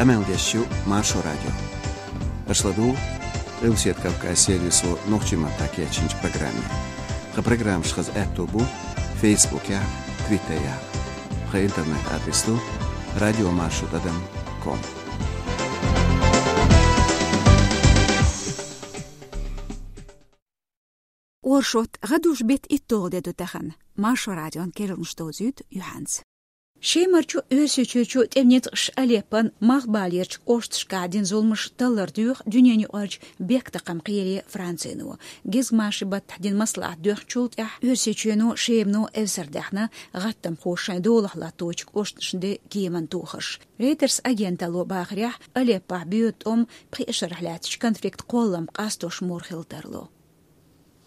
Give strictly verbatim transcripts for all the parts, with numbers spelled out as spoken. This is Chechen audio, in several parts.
Къамел деш ю Маршо радио. Аша ладугӀу Къилбаседа Кавказ сервисо нохчийн маттахь кечйинчу программе. Тхан программаш хаза аьтто бу Фейсбукехь, Твиттерехь. Тхан интернет-адрес ду радио маршо тӀадам ком. Оршот, гӀадужу беттан итталгӀа де ду тахана. Маршо радион керланаш довзуьйту юьхьанца. Шемарчу Оьрсийчуьрчу тӀеман ницкъаша Алеппон малхбалерчу кӀошташкахь дина зуламаш таллар доьху дуьненаюкъарчу бехктакхаман кхеле Францино. Гезгмашин баттахь дина маслаӀат доьхначул тӀаьхьа Оьрсийчоьно, Шемано эвсар даьхна, гӀаттамхоша шайн долахь латточу кӀошташна де кеман тухарш. Рейтерс агенталло бахарехь, Алеппохь боьду тӀом пхи шарахь лаьттачу конфликтан кхоллам къастош мур хила тарло.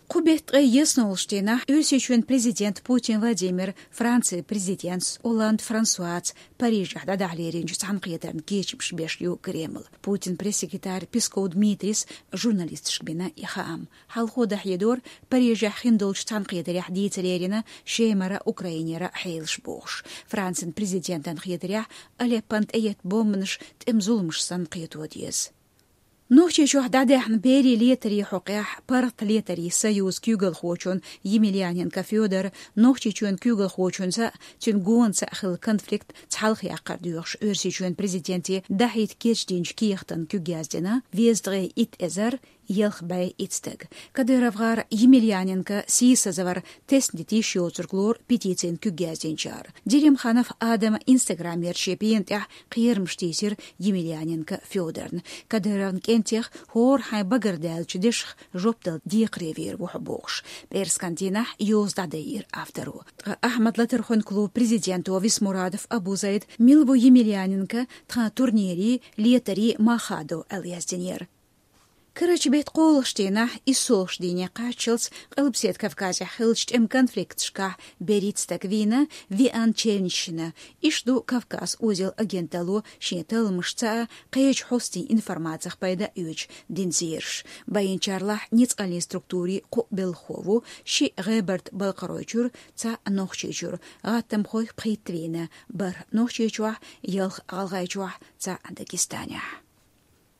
Кху беттан ткъе ялхолгӀачу дийнахь Оьрсийчоьнан президента Путин Владимира Францин президента Олланд Франсуас Парижехь дӀадахьа леринчу цхьаьнакхетарна кечамаш беш ю Кремль. Путинан пресс-секретарь Песков Дмитрийс журналисташка бина и хаам. Хьалхо дӀахьедора, Парижехь хиндолчу цхьаьнакхетарехь дийца лерина Шемара, Украинера хьелаш бохуш. Францин президентан хетарехь, Алеппон тӀеетта бомбанаш тӀеман зуламаш санна кхето деза. Нохчийчохь дӀадаьхьна берийн летарийн хьокъехь паргӀат летарийн союзан куьйгалхочун Емельяненко Фёдоран, Нохчийчоьнан куьйгалхочуьнца а, цуьнан гонца а хилла конфликт цхьалха яккхар доьхуш, Оьрсийчоьнан президенте дӀахьийта кечдинчу кехатан куьг яздина везткъе итт эзар ялх бӀе итт стаг. КадыровгӀар Емельяненкон сийсазвар тесна дита йиш йоцург лору петицин куьг яздинчара. Делимханов Адама Instagram-ерчу шен пена тӀехь кхерамаш тийсира Емельяненко Фёдорна. Кадыровн кӀентех хӀора хьайн багардаьллачу дешах жоп дала декхаре вер ву хьо бохуш, пӀераскан дийнахь йоза дӀадайира авторо. Ткъа Ахьмад-Латархойн клубан президенто Висмурадов Абузайда мила ву Емельяненко тхан турнирийн, летарийн мах хадо аьлла яздинера. Карарчу беттан кхоалгӀачу дийнахь, иссолгӀачу дийне кхаччалц Къилбаседа Кавказехь хиллачу тӀеман конфликташкахь берхӀитта стаг вийна, веана чевнаш йина. Иштта ду Кавказ узел агенталло шен талламашца а, кхечу хьостийн информацих пайда а оьцуш дина зераш. Байинчарлахь ницкъаллин структурийн кхоъ белхахо ву, шиъ ГӀебарта-Балкхаройчуьра, цхьаъ Нохчийчуьра, гӀаттамхой пхийтта вийна, бархӀ Нохчийчохь, ялх ГӀалгӀайчохь, цхьаъ Дагестанехь.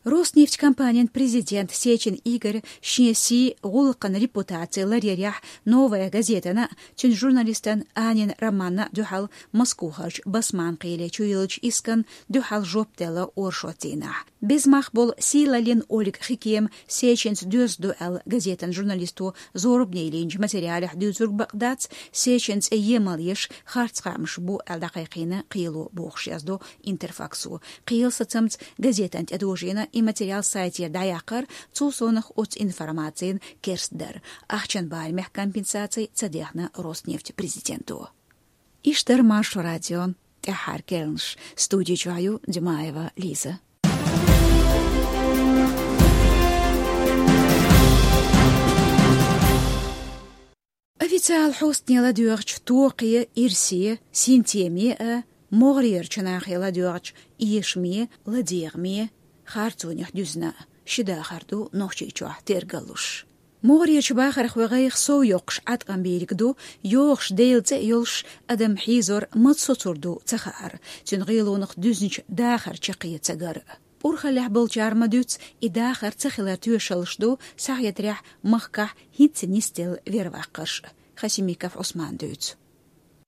Роснефть компанин президент Сечин Игорь шен сий, гӀуллакхан репутаци ларъярехь «Новая газетана» а, цуьнан журналистана Анина Романна а дуьхьал Москвахарчу Басманн кхеле чуйиллинчу искан дуьхьал жоп делла оршот дийнахь. Беза мах болу сийлаллин Ольга Хикема Сечинца доьзна ду аьлла газетан журналисто зорбане йиллинчу материалехь дуьйцург бакъ дац, Сечинан цӀе емал еш харц хаамаш бу аьлла дӀакхайкхийна кхело бохуш, яздо Интерфаксо. Кхелан сацамца газетана тӀедожийна и материал сайтера дӀаяккхар, цул совнаха оцу информацин керстдар. Ахчан барамехь компенсаци ца дехна Роснефть президенто. Иштта дара Маршо радион тӀаьххьара керланаш. Студи чохь ю Димаева Лиза. Официалан хьостане ладоьгӀучу токхе, ирсе, синтеме а, могӀарерчу нахе ладоьгӀучу эшаме, ладегӀаме, харцонех дуьзна а ши дахар ду Нохчийчохь тергаллуш. МогӀарерчу бахархойн гӀайгӀа сов йоккхуш Ӏаткъам бийриг ду, йогӀуш Делан цӀе а йолуш, адам хьийзор мала соцур ду ца хаар, цуьнан гӀелонах дуьзначу дахар чаккхе ца гар а. Урхаллехь болчара ма-дуьйццу, и дахар ца хиларан тоьшаллаш ду, схьахетарехь, махкахь хӀинцца нисделла верваккхарш а. Хасимиков Ӏусмана дуьйцу.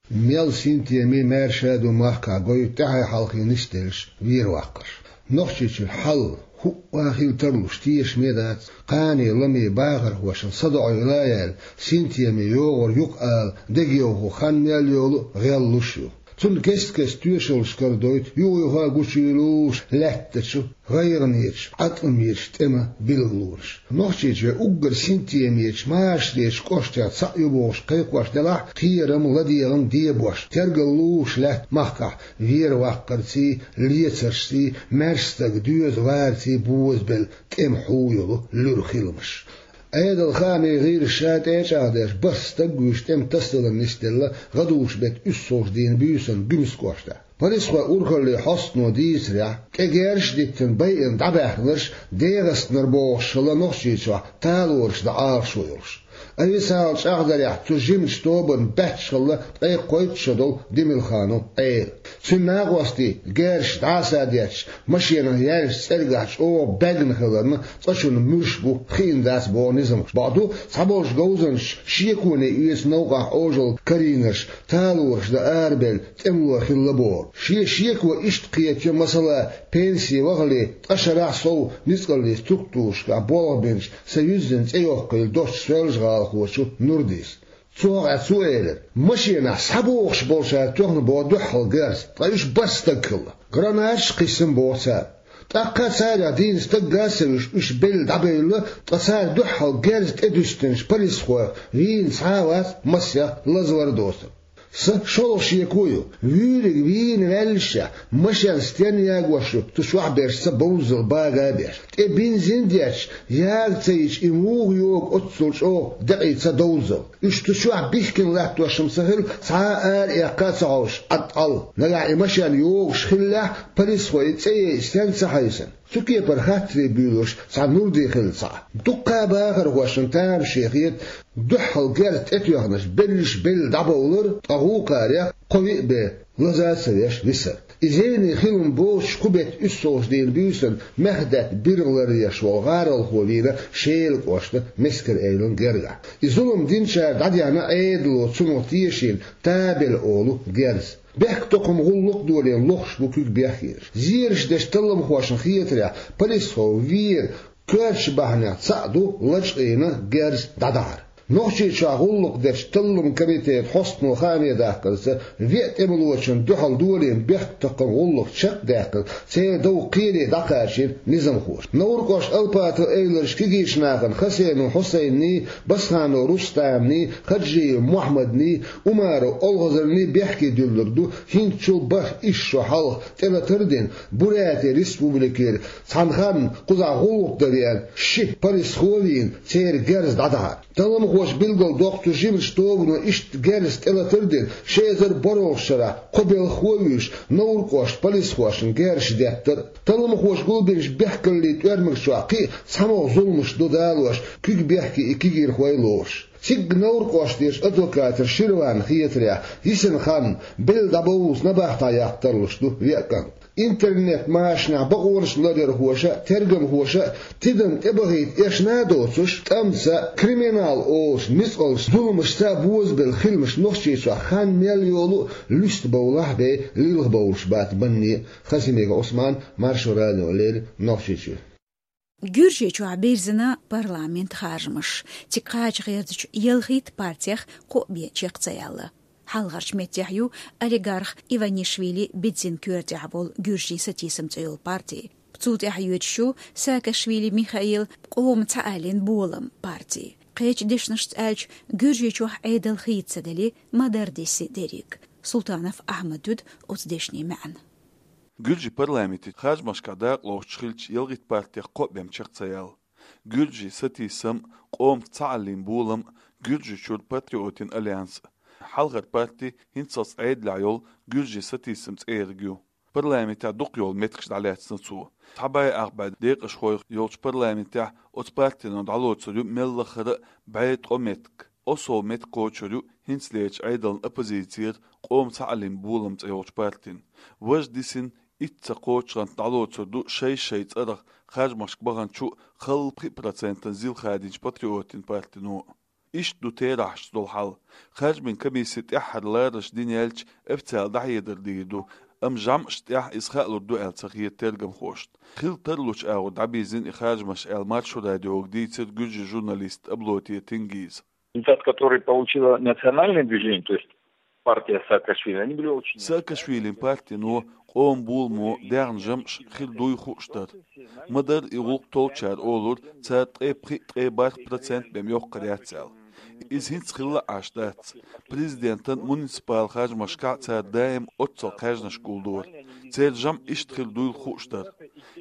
Мел синтеме, маьрша а ду махкахь гойту тӀаьхье хьалхе нисделларш, верваккхарш. Нохчийчуьра хьал хӀуъа хила тарлуш тешаме дац, кхане ламе бахархошна садоӀийла а яьлла, синтеме йогӀур ю-кх ала дегайовхо хан мел йолу а гӀеллуш ю. Цунна кест-кеста тоьшаллаш карадойту юха-юха гучуйолуш лаьттачу, гӀайгӀанечу, Ӏаткъамечу тӀеман билгалонаш. Нохчийчоь уггар синтемечу, машаречу кӀоштех цхьаъ ю бохуш кхайкхош делахь а, кхерам, ладегӀам дебош, тергаллуш лаьтта махкахь верваккхарций, лецаршций, маьрша стаг доьза варций бозабелла тӀеман хьу йолу луьра хиламаш. Ӏедалан хаамийн гӀирсаша тӀе а чӀагӀдеш, бархӀ стаг вуьйш тӀеман тасадаларна нисделла гӀадужу беттан уьссалгӀачу дийнан буьйсанна Гуьмсан кӀоштахь. Полисхойн урхаллин хьостано дийцарехь, кӀегерш а диттина байина дӀабаьхнарш ДегӀастанара бохуш хилла Нохчийчохь талораш дан Ӏалашо йолуш. Официалан чӀагӀдарехь, цу жимачу тобанна баьчча хилла ткъе кхойтта шо долу Демилханов Ӏела. Цуьнан накъостий, герзаш дӀасадетташ, машенах яьллачу цӀергахь чӀогӀа баьгна хиларна, цкъачунна муьлш бу хиъна дац боху низамхоша. Бакъду, цхьаболчу говзанчаша шеконе оьцу новкъахь Ӏожалла карийнарш, талораш дан арабевлла, тӀемало хилла боху. Шен шеко иштта кхетайо, масала, пенсий вахале, ткъа шарахь сов ницкъаллин структурашкахь болх бинчу сан юьззина цӀе йоккхийла долчу соьлжагӀалахочу Нурдис. Цу хьокъехь цо элира: машенахь схьабогӀуш болчара тоьхна боху дуьххьал герз, ткъа уьш бархӀ стаг хилла. Гранаташ а кхиссина боху цара. ТӀаккха царах дийна стаг а ца вуьйш, уьш белла дӀабевлла, ткъа цара дуьххьал герз тӀедуьстинчу полисхойх вийна цхьа а вац массех лазавар а доцург. Сан шолгӀа шеко ю: вуьйриг вийна ваьллашехь, машен стенна ягош ю, цу чохь берш ца бовззал бага а беш. ТӀе бензин а детташ, яга ца йича, и муха йогу оццул чӀогӀа декъий ца довззал? Уьш цу чохь бихкина латтош-м ца хилла, цхьа а ара эккха а ца хьовсуш, Ӏад-Ӏал. Нагахь и машен йогуш хиллехь, полисхой и цӀе яйча стенна ца хьаьвсина? Цу кепара хаттаре буьйлуш цхьа Нурди хилла цхьаъ. Дуккха а бахархошна тамаше хета, дуьххьал герз тӀетоьхнарш берриш белла дӀабовлар, ткъа гӀуллакхарех кхо-виъ бен лаза а ца веш висар. И зене хилла-м боцуш, кху беттан уьссалгӀачу дийнан буьйсанна Мехдатай биргӀа ларъеш волу гӀаролхо вийна Шелан кӀоштан Мескер-Эвлан гергахь. И зулам динчара дӀадеана Ӏедало цунах тешийна Табель олу герз. Бехктокхаман гӀуллакх а долийна лохуш бу куьг бехкенаш. Зераш дечу талламхошна хетарехь, полисхо вер коьртачу бахьанех цхьаъ ду лачкъийна герз дӀадахьар. Нохчийчохь гӀуллакх дечу талламан комитетан хьостано хааме даккхарца, веа тӀемалочунна дуьхьал долийна бехктокхаман гӀуллакх чекхдаьккхина, церан дов кхеле дӀакхачийна низамхоша. Невран кӀоштан Алпатов-Эвларчу кегийчу нахана Хасенов Хьусайнний, Басханов Рустамний, Хаджиев Мохьмадний, Умаров Олхазарний бехке дуьллург ду хӀинцачул бархӀ исс шо хьалха тӀелатар а дина, Бурятия Республикера цхьана ханна кхузахь гӀуллакх дан веана ши полисхо а вийна, церан герз дӀадахьар. Талламхоша билгалдоккху, цу жимачу тобано иштта герз тӀелатар а дина, ши эзар бархӀалгӀачу шарахь кхо белхахо а вуьйш, Невран кӀоштан полисхошна герзаш деттар а. Талламхоша гулбинчу бехкаллийн тӀоьрмаг чохь кхин а цхьамогӀа зуламаш ду далош, куьг бехке и кегийрхой а лоруш. Цига Невран кӀоштан адвокатера Ширвана хетарехь, йисина хан белла дӀабовллалц набахтехь яккха тарлуш ду веа кӀант. Интернет-машанехь бакъонаш ларъярхоша а, тергамхоша а тидам тӀебахийта эшна а доцуш, тӀамца, криминал олуш ницкъаллаш, зуламашца а бозабелла хиламаш Нохчийчохь хан мел йолу а луьста бовлахь а бен лилхабовлуш бац банне а. Хасимиков Ӏусман, Маршо радиона леррина, Нохчийчуьра. Гуьржийчохь бирзина парламентан харжамаш. Цига кхача гӀертачу ялхитта партех кхоъ бен чекх ца яьлла. Хьалхарчу меттехь ю олигарх Иванишвили Бедзин коьртехь волу Гуьржийн сатийсам цӀе йолу парти. Цул тӀаьхьа йоьдуш ю Саакашвили Михаил, Къоман цхьааллин болам парти. Кхечу дешнашца аьлча, Гуьржийчохь Ӏедал хийца ца делли, ма-дарра диси дерриг. Султанов Ахьмада дуьду оцу дешнийн маьӀна. Гуьржийн парламентан харжамашкахь дакъалоцуш хиллачу ялхитта партех кхоъ бен чекх ца яьлла. Гуьржийн сатийсам, Къоман цхьааллин болам, Гуьржийчуьра патриотийн альянс. Хьалхара парти хӀинццалц Ӏедалехь йолу Гуьржийн сатийсам цӀериг ю. Парламентехь дукха йолу меттигаш дӀалаьцна цо. Цхьа бӀе ах бӀе декъашхой йолчу парламентехь оцу партино дӀалоцур ю мел лахара а бӀе ткъа меттиг. Осал меттиг кхочур ю хӀинцалерчу Ӏедална оппозицера Къоман цхьааллин болам цӀе йолчу партин. Важа дисина итт ца кхочу гӀант дӀалоцур ду шай-шай цӀарах харжамашка баханчу а, халла пхи процентан зил хадийначу патриотийн партино а. Иштта ду терахьашца долу хьал. Харжамийн комиссин тӀаьххьара ларарш дина яьлча, официалан дӀахьедар дийр ду, амма жамӀашна тӀехь иза хаалур ду аьлла ца хета тергамхошна. Хила тарлучу агӀор дӀабирзина и харжамаш аьлла, Маршо радиога дийцира гуьржийн журналиста Аблоте Тенгиза. Результат, который получило национальное движение, то есть партия Саакашвили, они были очень... Саакашвилин партино, Къоман боламо даьхна жамӀаш хир дуй хууш дара. Ма-дарра и гӀуллакх толлучара олура, цара ткъе пхи, ткъе бархӀ процент бен йоккхур яц аьлла. Иза хӀинца хилла а Ӏаш дац. Президентан, муниципал харжамашкахь цара даим оццул кхаьжнаш гулдора. Церан жамӀ иштта хир дуйла хууш дара.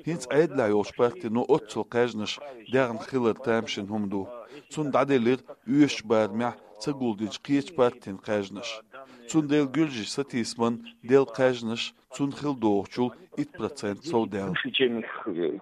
ХӀинца Ӏедалехь йолчу партино оццул кхаьжнаш даьхна хилар тамашийна хӀума ду. Цунна дӀаделира оьшучу барамехь ца гулдинчу кхечу партийн кхаьжнаш. Цундела гуьржийн сатийсаман делла кхаьжнаш цунна хилла догӀучул итт процент совдаьлла. Выше, чем их,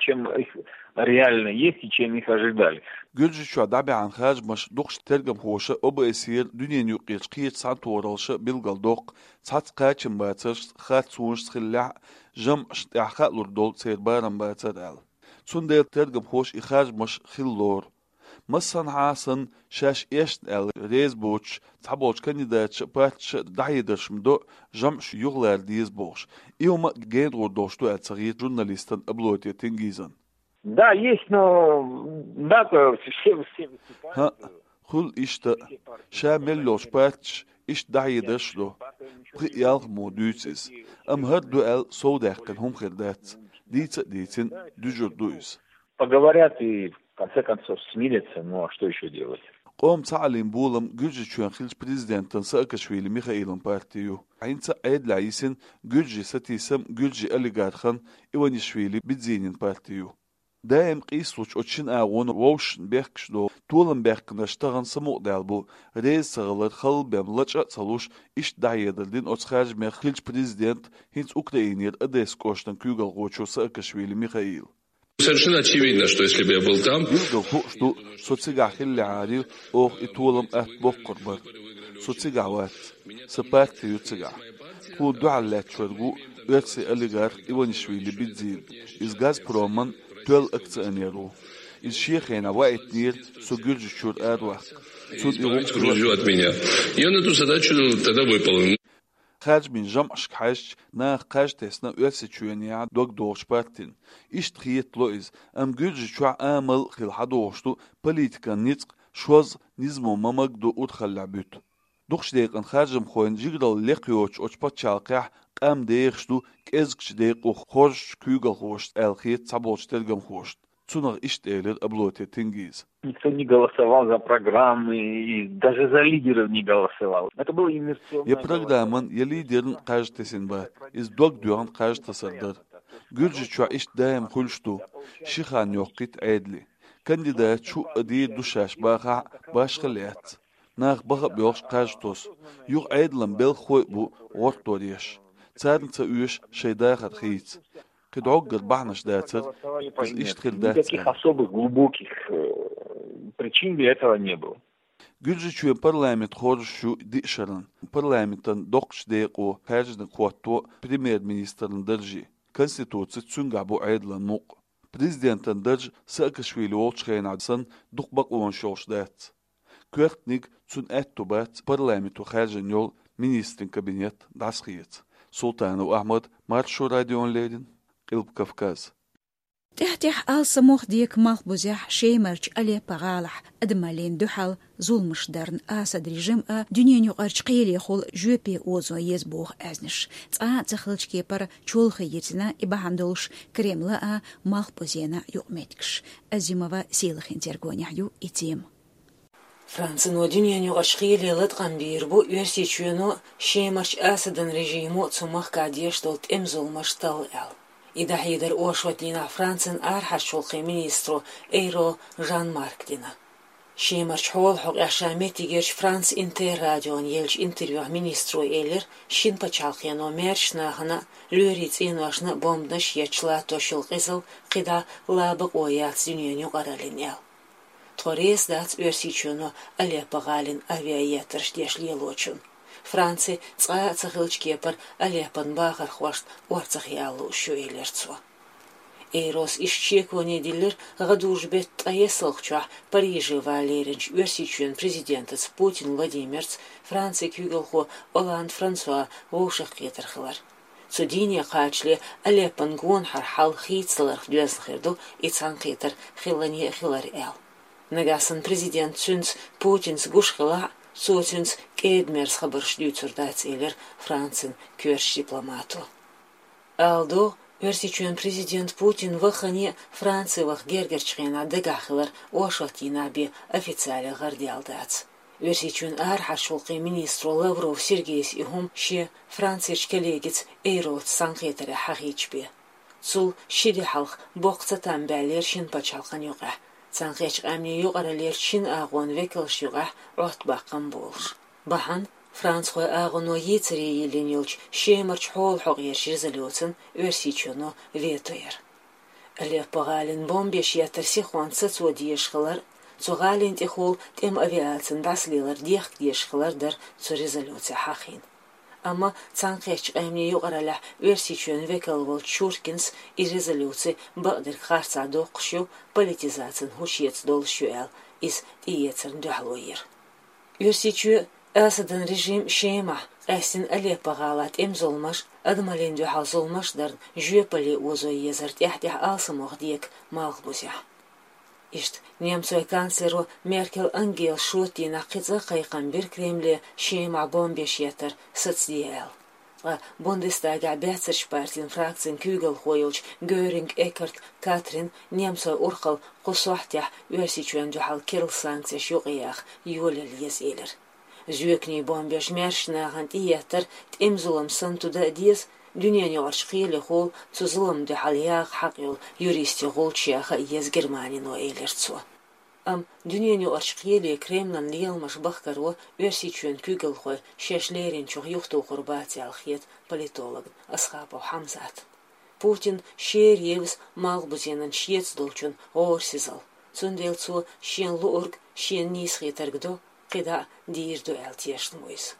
чем их реально есть и чем их ожидали. Гуьржийчохь дӀабаьхьна харжамаш дукхачу тергамхоша ОБСЕ-ра, дуьненаюкъарчу кхечу цхьаьнатохараллаша билгалдоккху, цхьацца кхачамбацаршца, харцонашца хиллехь а, жамӀашна тӀехь хаалур долу церан барамбацар аьлла. Цундела тергамхоша и харжамаш хилла лору. Массанхьа а санна, шаьш эшна аьлла реза боцуш, цхьаболчу кандидаташа а, парташа а дӀахьедарш ма до, жамӀаш юхалара деза бохуш. И хӀума а генахур долуш ду аьлла ца хета журналистана Аблотий Тенгизан. Да, есть, но НАТО все, все выступают. ХӀаъ, хуьлу иштта. Ша мел йолчу парташа иштта дӀахьедарш а до. Пхи-ялх мо дуьйцу иза. Амма хӀара ду аьлла совдаьккхина хӀума хир дац. Дийца а дийцина, дуьжур ду иза. Поговорят и, в конце концов, смирятся. Ну, а что ещё делать? Къоман цхьааллин болам Гуьржийчоьнан хиллачу президентана Саакашвили Михаилан парти ю. ХӀинца а Ӏедалехь йисина гуьржийн сатийсам гуьржийн олигархан Иванишвили Бидзинин парти ю. Даим къийсалучу оцу шина агӀонан вовшашна бехкаш долу толам баьккхинарш тахана самукъадаьлла бу, реза ца хилар халла бен лачкъа а ца луш, иштта дӀахьедар дина оцу харжамех хиллачу президента хӀинца Украинера Одессан кӀоштан куьйгалхочо Саакашвили Михаила. Совершенно очевидно, что если бы я был там... Билггал хууш ду, со цигахь хиллехьара, оха и толам атта боккхур бара. Со цигахь вац. Сан парти ю цигахь. Тхуна дуьхьал лаьтташ верг ву оьрсийн олигарх Иванишвили Бидзин. Иза Газпроман тоьлла акционер ву. Иза шен хенахь ваийтинера со Гуьржийчуьра араваккха. Цунна и гӀуллакх... Грузию от меня. Я на эту задачу тогда выполнил. Харжамийн жамӀашка хьаьжча, наха кхаж тесна Оьрсийчоьнехь дог дохучу партина. Иштта хетало иза, амма Гуьржийчохь амал а хилла хьадогӀуш ду политикан ницкъ шозза, низамо ма-магадо урхаллехь буьту. Дукхачу декъана харжамхойн жигаралла лекха йоцуш оцу пачхьалкхехь къам дехаш ду кӀезгачу декъо хоржучу куьйгалхошца аьлла хета цхьаболчу тергамхошна. Цунах иштта элира Аблотий Тенгиза. Никто не голосовал за программы и даже за лидеров не голосовал. Это было инерционное голосование. Я программан, я лидеран кхаж тесина бац. Иза дог доьхна кхаж тасар дара. Гуьржийчохь иштта даим хуьлуш ду. Ши хан йоккхуьйту Ӏедале. Кандидаташ хӀуъа дийр ду шаьш бахахь а, башхалла яц. Наха баха а боьлхуш кхаж тосу. Юха Ӏедалан белхахой а бу гӀортор еш. Царна ца оьшу шайн дахар хийца. Кхин дӀоггара бахьанаш дацара, иза иштта хир дац аьлла. Никаких особых глубоких, э, причин для этого не было. Гуьржийчоьнан парламент хоржуш ю диъ шарна. Парламентан доккхачу декъо хаьржинарг хӀотто премьер-министран дарже. Конституцица цуьнгахь бу Ӏедалан мукъ. Президентан дарж Саакашвили волчу хенахь санна дукха бакъонаш йолуш дац. Коьртаниг, цунна аьтту бац парламенто хаьржина йолу министрийн кабинет дӀасахеца. Султанов Ахьмад, Маршо радиона леррина, Къилба Кавказ. ТӀаьхь-тӀаьхьа алсамох дека Малхбузехь Шемарчу Алеппо гӀалахь адамаллина дуьхьал зуламаш дарна Асад режим а, дуьненаюкъарчу кхелехула жоьпе озо еза боху аьзнаш. Цкъа а ца хиллачу кепара чолхе йирзина и бахьана долуш Кремла а, Малхбузена а юкъаметтигаш. Азимова Сийлахин тергонехь ю и тема. Францино дуьненаюкъарчу кхеле латкъам бийр бу Оьрсийчоьно, Шемарчу Асадан режимо цу махкахь деш долу тӀеман зуламаш талла аьлла. И дӀахьедар оршот дийнахь Францин арахьарчу гӀуллакхийн министро Эйро Жан-Марко дина. Шемарчу хьолан хьокъехь ша меттигерчу Франс Интер радиона еллачу интервьюхь министро элира, шина пачхьалкхено маьршачу нахана а, лоьрийн цӀеношна а бомбанаш етташ латтош йолу къизалла кхидӀа ла бакъо яц дуьненан юкъараллина аьлла. Тхо реза дац Оьрсийчоьно Алеппо гӀалина авиаеттарш деш лелочунна. Франци цкъа а ца хиллачу кепара Алеппон бахархошна орцах яла лууш ю, элира цо. Эйрос иштта шеконе диллира гӀадужу беттан ткъаесналгӀа чохь Париже ван леринчу Оьрсийчоьнан президентаца Путин Владимирца Францин куьйгалхо Олланд Франсуа вовшахкхетар хилар. Цу дийне кхачале Алеппон гонахара хьал хийцадаларх доьзна хир ду и цхьаьнакхетар хиллане а хилар аьлла. Нагахь санна президент цуьнца, Путинца, гуш хилахь а, цо цуьнца кӀеда-мерза хабарш дуьйцур дац, элира Францин коьртачу дипломато. Ала догӀу, Оьрсийчоьнан президент Путин вахане а Франци ваха гергарчу хенахь дагахь хилар оршот дийнахь бен официале гӀарадаьлла дац. Оьрсийчоьнан арахьарчу гӀуллакхийн министро Лавров Сергейс и хӀума шен Францерчу коллегица Эйросца цхьаьнакхетарехь хьахийча бен. Цул ши де хьалха боккха цатам баьллера шина пачхьалкхан юкъахь, Цхьаьнакхеттачу Къаьмнийн Юкъараллерчу шина агӀонан векалшна юкъахь Ӏоттабаккхам болуш. Бахьана, францхойн агӀоно йийцаре йиллина йолчу Шемарчу хьолан хьокъерчу резолюцина Оьрсийчоьно вето яр. Алеппо гӀалина бомбеш еттар сихонца сацо дезаш хилар, Цу гӀалин тӀехула тӀема авиацин дӀасалелар дехка дезаш хилар дар цу резолюцехь хьахийна. Амма Цхьаьнакхеттачу Къаьмнийн Юкъараллехь Оьрсийчоьнан векал волчу Чуркинс и резолюци бакъдерг харцахь доккхуш ю, политизацин хӀума эца долуш ю аьлла, иза тӀеэцарна дуьхьало йира. Оьрсийчоь а, Асадан режим а Шемахь, къаьстина Алеппо-гӀалахь тӀеман зуламаш а, адамаллина дуьхьал зуламаш а дарна жоьпалле озо езар тӀаьхь-тӀаьхьа алсамох дега Малхбузехь. Иштта немцойн канцлеро Меркель Ангелас шота дийнахь кхин цкъа кхайкхам бира Кремле Шемахь бомбеш еттар сацаде аьлла. Ткъа Бундестагехь баьццарчу партин фракцин куьйгалхо йолчу Гёринг-Эккарт Катрина немцойн урхалла кху сохьтехь Оьрсийчоьнна дуьхьал керла санкцеш юкъаяха йолаелла еза элира. Зоьканийн бомбеш маьршачу нахана тӀеэттар тӀеман зулам санна туда а деза, дуьненан юкъарчу кхелехула цу зуламна дуьхьал яха хьакъ йолу юристийн гӀулч яха а еза Германино, элира цо. Амма дуьненан юкъарчу кхеле Кремлан леламаш бахкаро Оьрсийчоьнан куьйгалхой шаьш леринчух юхатухур бац аьлла хета политологна Асхапов Хьамзатна. Путинна шера евза Малхбузенан шеца долчун гӀорасизалла. Цундела цо шена луург шена нийса хетарг до, кхидӀа а дийр ду аьлла тешна ву иза.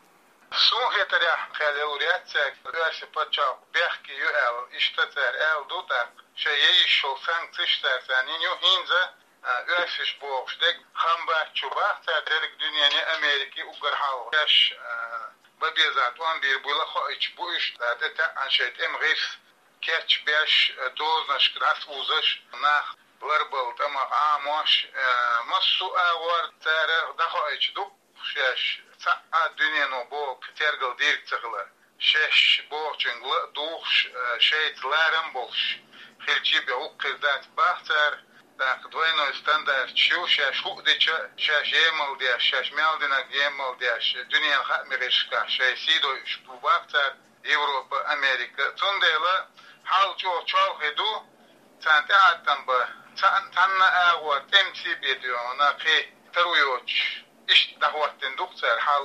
Суна хетарехь, кхел ял вариацияга оьрсийн пачхьалкх бехке ю аьлла, иштта цара аьлла ду тӀаккха, шайн яйиш йолу санкцеш цара царна йина ю, хӀинца а, оьрсаша бохуш дерг хам бац чу бах цара, дерриг дуьнене, Америке уггар хьалха. Шаьш, а, бан беза тӀом бийр буйла а хоуьйтуш бу уьш, цара тӀе таьӀна шайн тӀеман гӀирс кечбеш, а, дозанашка дӀасаузаш, нах ларбала тӀамах Ӏамош, а, массо а агӀор цара дӀахоуьйтуш ду. Шаьш цхьаъ а дуьнено боху тергал дийриг ца хилар. Шаьш бохучуьнга ла а духуш, э, шайца ларам а болуш хилчий бен, хӀокху хир дац бах цара, тӀаккха двойной стандарташ ю, шаьш хӀуъа дича, шаьш емал деш, шаьш мел динарг емал деш, дуьненан хаамийн гӀирсашкахь шайн сий дойуш бу бах цара, Европа, Америка. Цундела хьал чӀогӀа чолхе ду, царна тӀеӀаткъам бан, цхьаъ-, цхьанна агӀор тӀемций бен дуьйна кхин таро йоцуш, иштта дӀахӀоттийна ду-кх цара хьал.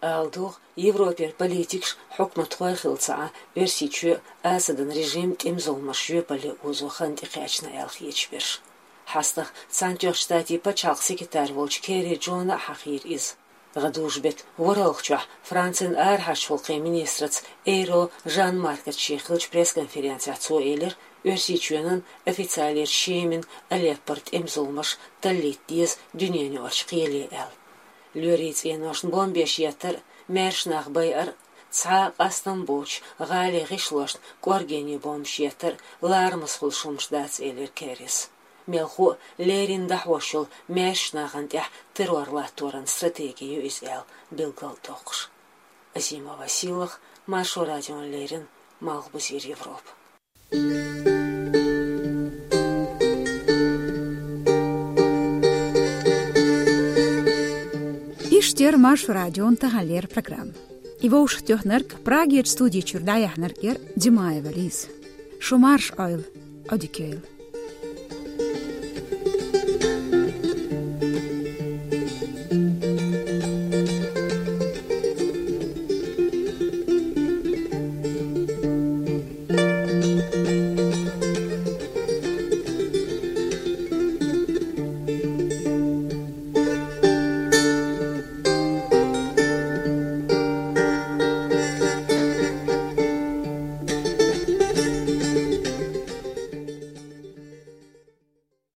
Ала дугӀу, Европера политикаш, хьукматхой хилла ца Ӏа, Оьрсийчоь а, Асадан режим а тӀеман зуламаш жоьпалле озо хан тӀекхаьчна аьлла хеташ берш. ХьастагӀа Цхьаьнатоьхначу Штатийн пачхьалкхан секретарь волчу Керри Джона а хьахийра иза. ГӀадужу-беттан ворхӀалгӀачохь Францин арахьарчу гӀуллакхийн министраца Эйро Жан-Маркаца шен хиллачу пресс-конференцехь цо элира, Оьрсийчоьнан официалера Шемин, Алеппора тӀеман зуламаш таллийта деза дуьненан юкъарчу кхеле аьлла. Лоьрийн цӀеношна бомбеш еттар а, маьршачу нах байар а, цхьа а къастам боцуш гӀалин гӀишлошна кӀоргенийн бомбаш еттар а ларамаза хуьлуш хӀумнаш дац, элира Керрис. Мелхо а леррина дӀахьош йолу маьршачу нахана тӀехь террор латторан стратеги ю иза аьлла билгалдоккхуш. Азимова Сийлаха, Маршо радиона леррина, Малхбузера Европа. Иштта яра Маршо радион таханлера программа. И вовшахтоьхнарг, Прагерчу студи чуьра дӀаяьхьнарг яра Димаева Лиза. Шу марша Ӏойла, Ӏодика йойла.